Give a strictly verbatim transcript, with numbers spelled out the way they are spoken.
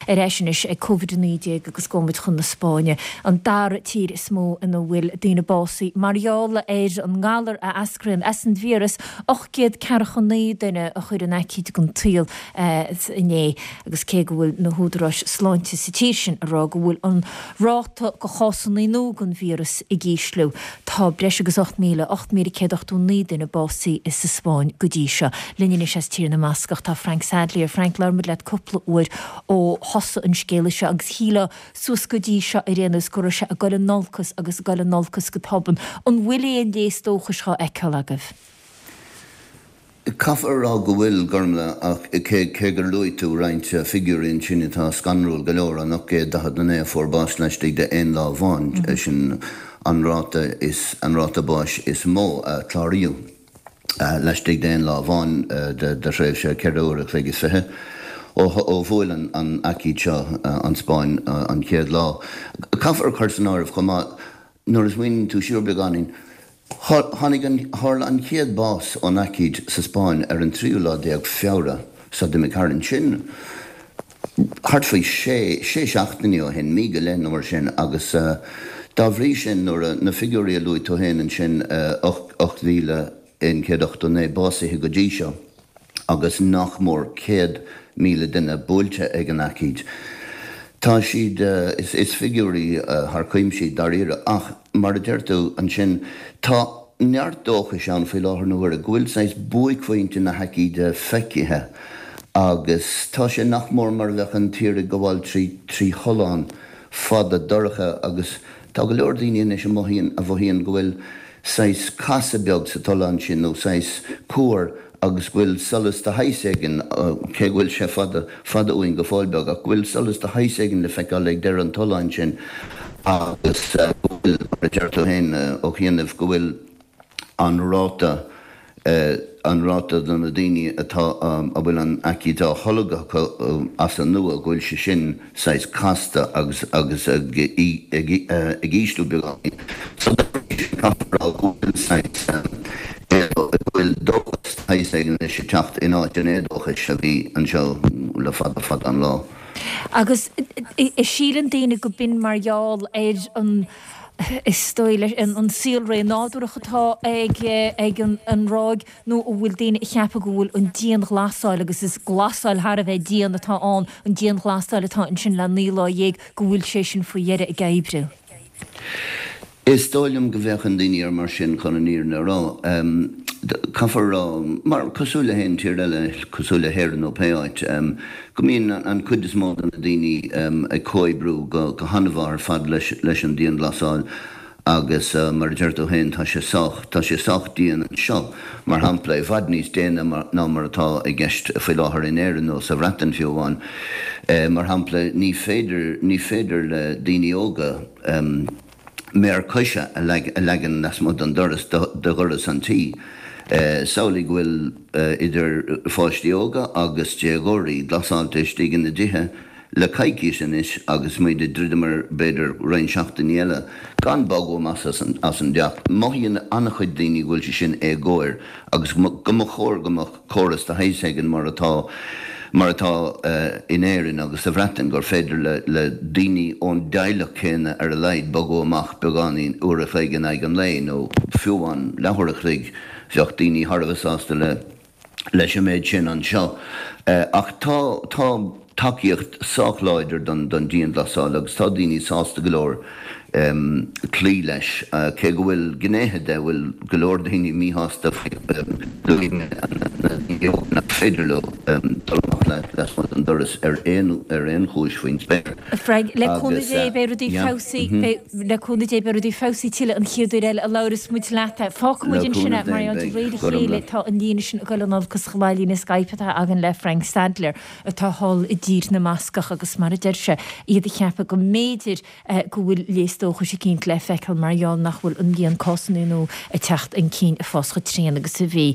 Ar ais anois ag Covid a naoi déag agus gabhfaidh muid chun na Spáinne, an dara tír is mó ina bhfuil daoine básaithe mar gheall ar an ngalar a eascraíonn as an víreas, ocht gcéad ceathracha naoi duine a chuir an aicíd den tsaol inné agus cé go bhfuil na húdaráis sláinte sa tír sin ag rá go bhfuil an ráta de chásanna nua den víreas ag ísliú, tá breis agus ocht míle, ocht míle céad ochtó naoi duine básaithe sa Spáinn go dtí seo. Linn anois as Tír na mBascach tá Frank Sadlier. Frank, labhair muid leat cúpla uair ó thosaigh an scéala seo agus shílfeá suas go dtí seo ar aon nós go raibh sé ag dul in olcas agus ag dul in olcas go tobann. An bhfuil aon léas dóchais dhá fheiceáil agaibh? Caithfear a rá go bhfuil, Gormlaith, ach cé cé gur luaigh tú roinnt figiúirí ansin atá scanrúil go leor, an ocht gcéad daichead a naoi a fuair bás laistigh de aon lá amháin, sin an ráta is an ráta báis is mó a cláraíodh laistigh de aon lá amháin de thréimhse ceithre uair a chloig is fiche ó ó bhuail an an aicíd seo an Spáinn an chéad lá. Caithfear a chur san áireamh chomh maith, nuair a smaoiníonn tú siar beagáinín, Tháinig an, tharla an chéad bás ón aicíd sa Spáinn ar an tríú lá déag Feabhra so d'imigh tharainn. Sin thart faoi sé, sé seachtainí ó shin, mí go leith nó mar sin agus dá bhrí sin nuair a, na figiúirí a luaigh tú féin ansin, ocht, ocht mhíle aon chéad ochtó naoi básaithe go dtí seo agus nach mór céad míle duine buailte ag an aicíd. Tá siad, is figiúirí thar cuimse iad dáiríre, ach mar a deir tú ansin, tá neart dóchais ann faoi láthair na huaire go bhfuil saghas buaicphointe na haicíde feicthe agus tá sé nach mór mar a bheadh an tír ag gabháil trí trí thollán fada dorcha agus tá go leor daoine anois a mothaíonn a mhothaíonn go bhfuil saghas casadh beag sa tollán sin nó saghas cuar agus go bhfuil solas de shaghas éigin, cé go bhfuil sé fada, fada uainn go fóill beag, ach go bhfuil solas de shaghas éigin le feiceáil ag deireadh an tolláin sin agus go bhfuil, mar a deir tú féin ó chianaibh, go bhfuil an ráta, an ráta de na daoine atá, a bhfuil an aicíd á tholg acu as an nua, go bhfuil sé sin saghas casta agus agus ag ag ag ísliú beagáinín. So dá bhrí sin caithfear a rá go bhfuil saghas go bhfuil dóchas de shaghas éigin anois ag teacht in áit an éadóchais a bhí anseo le fada fada an lá. Agus síleann daoine go b'in mar gheall ar an is dóigh leis an saolré nádúrach atá ag ag an ráig nó an bhfuil daoine ag ceapadh go bhfuil an dianghlasáil, agus is glasáil thar a bheith dian atá ann, an dianghlasáil atá ansin le naoi lá dhéag, go bhfuil sé sin faoi dheireadh ag oibriú? Is dóigh liom go bhféachann daoine air mar sin, chun an fhírinne a rá. Caithfear a rá, mar, cosúil le haon tír eile, cosúil le hÉirinn nó pé áit, go mbíonn an chuid is mó de na daoine ag comhoibriú go han-mhaith ar fad leis an dianghlasáil agus mar a deir tú féin, tá sé sách, tá sé sách dian anseo, mar shampla, i bhfad níos déine ná mar atá i gceist faoi láthair in Éirinn nó sa Bhreatain fiú amháin. Mar shampla, ní féidir, ní féidir le daoine óga méar coise a leagan lasmuigh den doras, de dhoras an tí. Samhlaigh go bhfuil idir pháistí óga agus déagóirí glasáilte istigh ina dtithe le coicís anois agus muid ag druidim ar b'fhéidir roinnt seachtainí eile gan bogadh amach as an dteach. Mothaíonn an-chuid daoine go bhfuil sé sin éagóir agus go mba chóir go mbeadh córas de shaghas éigin mar atá mar atá in Éirinn agus sa Bhreatain gur féidir le daoine ón dteaghlach céanna ar a laghad bogadh amach beagáinín uair a chloig in aghaidh an lae nó fiú amháin leathuair a chloig. Bheadh daoine thar a bheith sásta le leis an méid sin anseo. Ach tá tá tacaíocht sách láidir don don dianghlasáil agus tá daoine sásta go leor cloí leis, cé go bhfuil gnéithe de a bhfuil go leor daoine míshásta faoi, luaigh mé na daoine óga nach féidir leo dul amach lasmuigh den doras ar aon ar aon chúis faoin spéir. Frank, le cúnamh Agus Dé beidh rudaí yeah. feabhsaithe, beidh, le cúnamh Dé beidh rudaí feabhsaithe tuilleadh an chéad uair eile a labhras muid leat. Fágfaidh Le muid ansin cúnamh é, mar Dé gheall de beidh, réir a go chéile raibh. tá an líne sin ag dul in olcas chomh maith, líne Skype atá againn le Frank Sadlier atá thall i dTír na mBascach agus mar a deir sé, iad ag ceapadh go mb'fhéidir go bhfuil léas dóchais eicínt le feiceáil mar gheall nach bhfuil an líon cásanna nua ag teacht chun cinn ag fás chomh tréan agus a bhí.